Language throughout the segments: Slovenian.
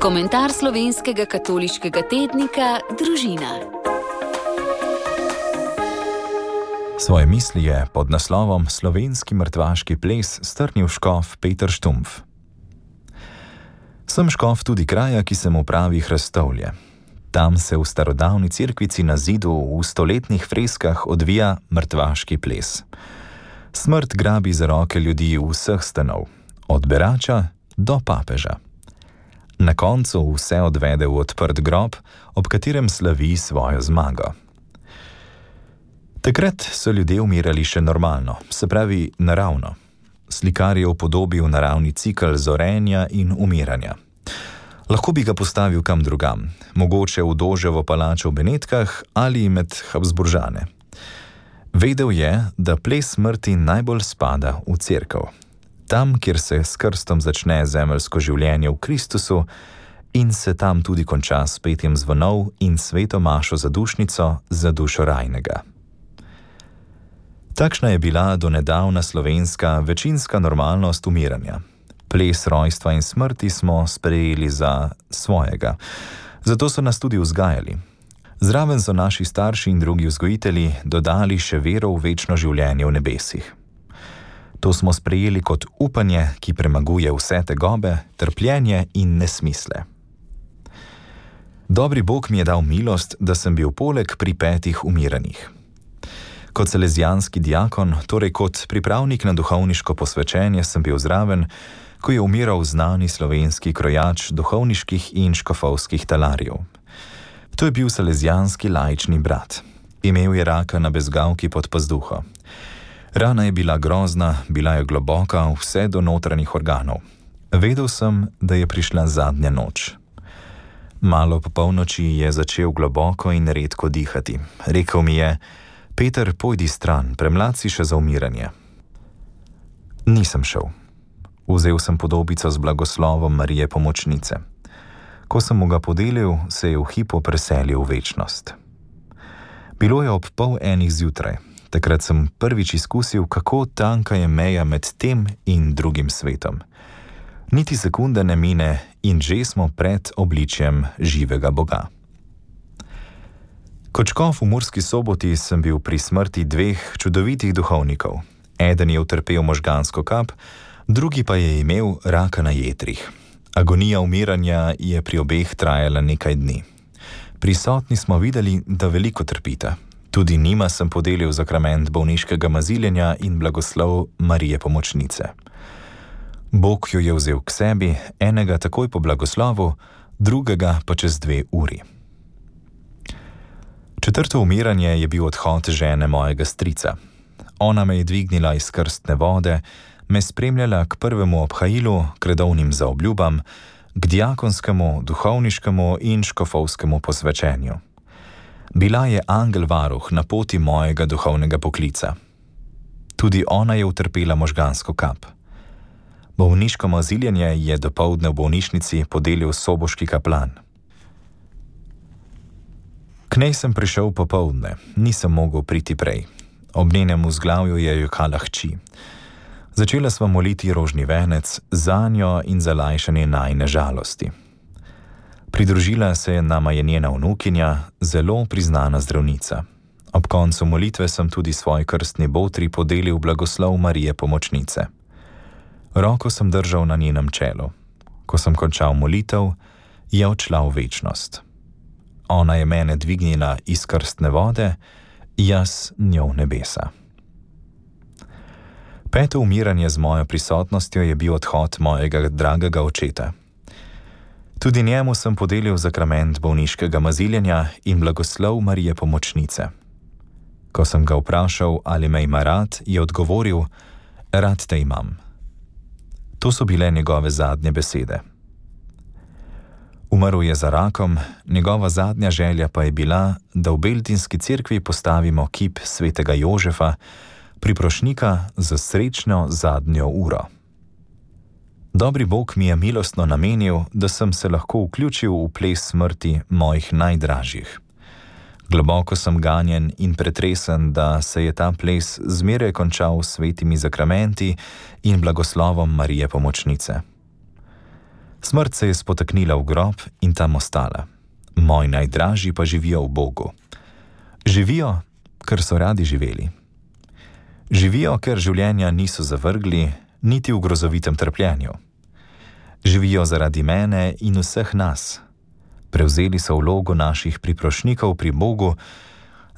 Komentar slovenskega katoliškega tednika Družina. Svoje misli je pod naslovom Slovenski mrtvaški ples strnil škof Peter Štumpf. Sem škof tudi kraja, ki se mu pravi Hrestovlje. Tam se v starodavni cerkvici na zidu v stoletnih freskah odvija mrtvaški ples. Smrt grabi za roke ljudi vseh stanov, od berača do papeža. Na koncu vse odvede v odprt grob, ob katerem slavi svojo zmago. Takrat so ljudje umirali še normalno, se pravi naravno. Slikar je upodobil naravni cikel zorenja in umiranja. Lahko bi ga postavil kam drugam, mogoče v Doževo palačo v Benetkah ali med Habsburžane. Vedel je, da ples smrti najbolj spada v cerkev. Tam, kjer se s krstom začne zemeljsko življenje v Kristusu in se tam tudi konča s petjem zvonov in sveto mašo za dušnico za dušo rajnega. Takšna je bila donedavna slovenska večinska normalnost umiranja. Ples rojstva in smrti smo sprejeli za svojega, zato so nas tudi vzgajali. Zraven so naši starši in drugi vzgojitelji dodali še vero v večno življenje v nebesih. To smo sprejeli kot upanje, ki premaguje vse tegobe, trpljenje in nesmisle. Dobri Bog mi je dal milost, da sem bil poleg pri 5 umiranjih. Kot salezijanski diakon, torej kot pripravnik na duhovniško posvečenje, sem bil zraven, ko je umiral znani slovenski krojač duhovniških in škofovskih talarjev. To je bil salezijanski laični brat. Imel je raka na bezgavki pod pazduho. Rana je bila grozna, bila je globoka, vse do notranjih organov. Vedel sem, da je prišla zadnja noč. Malo po polnoči je začel globoko in redko dihati. Rekel mi je: Peter, pojdi stran, premlad si še za umiranje. Nisem šel. Vzel sem podobico z blagoslovom Marije Pomočnice. Ko sem mu ga podelil, se je v hipu preselil v večnost. Bilo je ob 12:30 zjutraj. Takrat sem prvič izkusil, kako tanka je meja med tem in drugim svetom. Niti sekunde ne mine in že smo pred obličjem živega Boga. Kot škof v Murski Soboti sem bil pri smrti 2 čudovitih duhovnikov. Eden je utrpel možgansko kap, drugi pa je imel raka na jetrih. Agonija umiranja je pri obeh trajala nekaj dni. Prisotni smo videli, da veliko trpita. Tudi njima sem podelil zakrament bolniškega maziljenja in blagoslov Marije Pomočnice. Bog jo je vzel k sebi, enega takoj po blagoslovu, drugega pa čez 2 uri. 4. umiranje je bil odhod žene mojega strica. Ona me je dvignila iz krstne vode, me spremljala k prvemu obhajilu, k redovnim zaobljubam, k diakonskemu, duhovniškemu in škofovskemu posvečenju. Bila je angel varuh na poti mojega duhovnega poklica. Tudi ona je utrpela možgansko kap. Bolniško maziljenje je dopoldne v bolnišnici podelil soboški kaplan. K njej sem prišel popoldne, nisem mogel priti prej. Ob njenem vzglavju je jokala hči. Začela sva moliti rožni venec zanjo in za lajšanje najine žalosti. Pridružila se nama je njena vnukinja, zelo priznana zdravnica. Ob koncu molitve sem tudi svoj krstni botri podelil blagoslov Marije Pomočnice. Roko sem držal na njenem čelu. Ko sem končal molitev, je odšla v večnost. Ona je mene dvignila iz krstne vode, jaz njo v nebesa. 5. umiranje z mojo prisotnostjo je bil odhod mojega dragega očeta. Tudi njemu sem podelil zakrament bolniškega maziljenja in blagoslov Marije Pomočnice. Ko sem ga vprašal, ali me ima rad, je odgovoril: Rad te imam. To so bile njegove zadnje besede. Umrl je za rakom, njegova zadnja želja pa je bila, da v Beltinski cerkvi postavimo kip svetega Jožefa, priprošnika za srečno zadnjo uro. Dobri Bog mi je milostno namenil, da sem se lahko vključil v ples smrti mojih najdražjih. Globoko sem ganjen in pretresen, da se je ta ples zmeraj končal s svetimi zakramenti in blagoslovom Marije Pomočnice. Smrt se je spotaknila v grob in tam ostala. Moji najdražji pa živijo v Bogu. Živijo, ker so radi živeli. Živijo, ker življenja niso zavrgli, niti v grozovitem trpljenju. Živijo zaradi mene in vseh nas. Prevzeli so vlogo naših priprošnikov pri Bogu,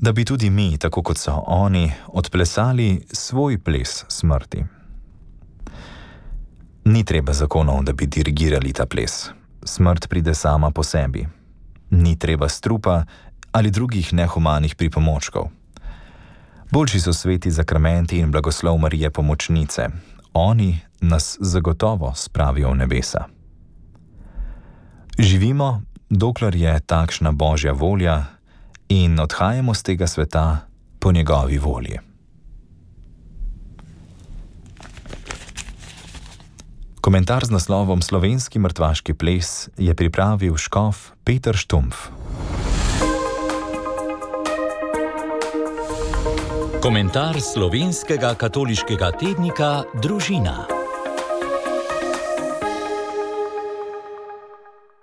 da bi tudi mi, tako kot so oni, odplesali svoj ples smrti. Ni treba zakonov, da bi dirigirali ta ples. Smrt pride sama po sebi. Ni treba strupa ali drugih nehumanih pripomočkov. Boljši so sveti zakramenti in blagoslov Marije Pomočnice. Oni nas zagotovo spravijo v nebesa. Živimo, dokler je takšna Božja volja, in odhajamo z tega sveta po njegovi volji. Komentar z naslovom Slovenski mrtvaški ples je pripravil škof Peter Štumpf. Komentar slovenskega katoliškega tednika Družina.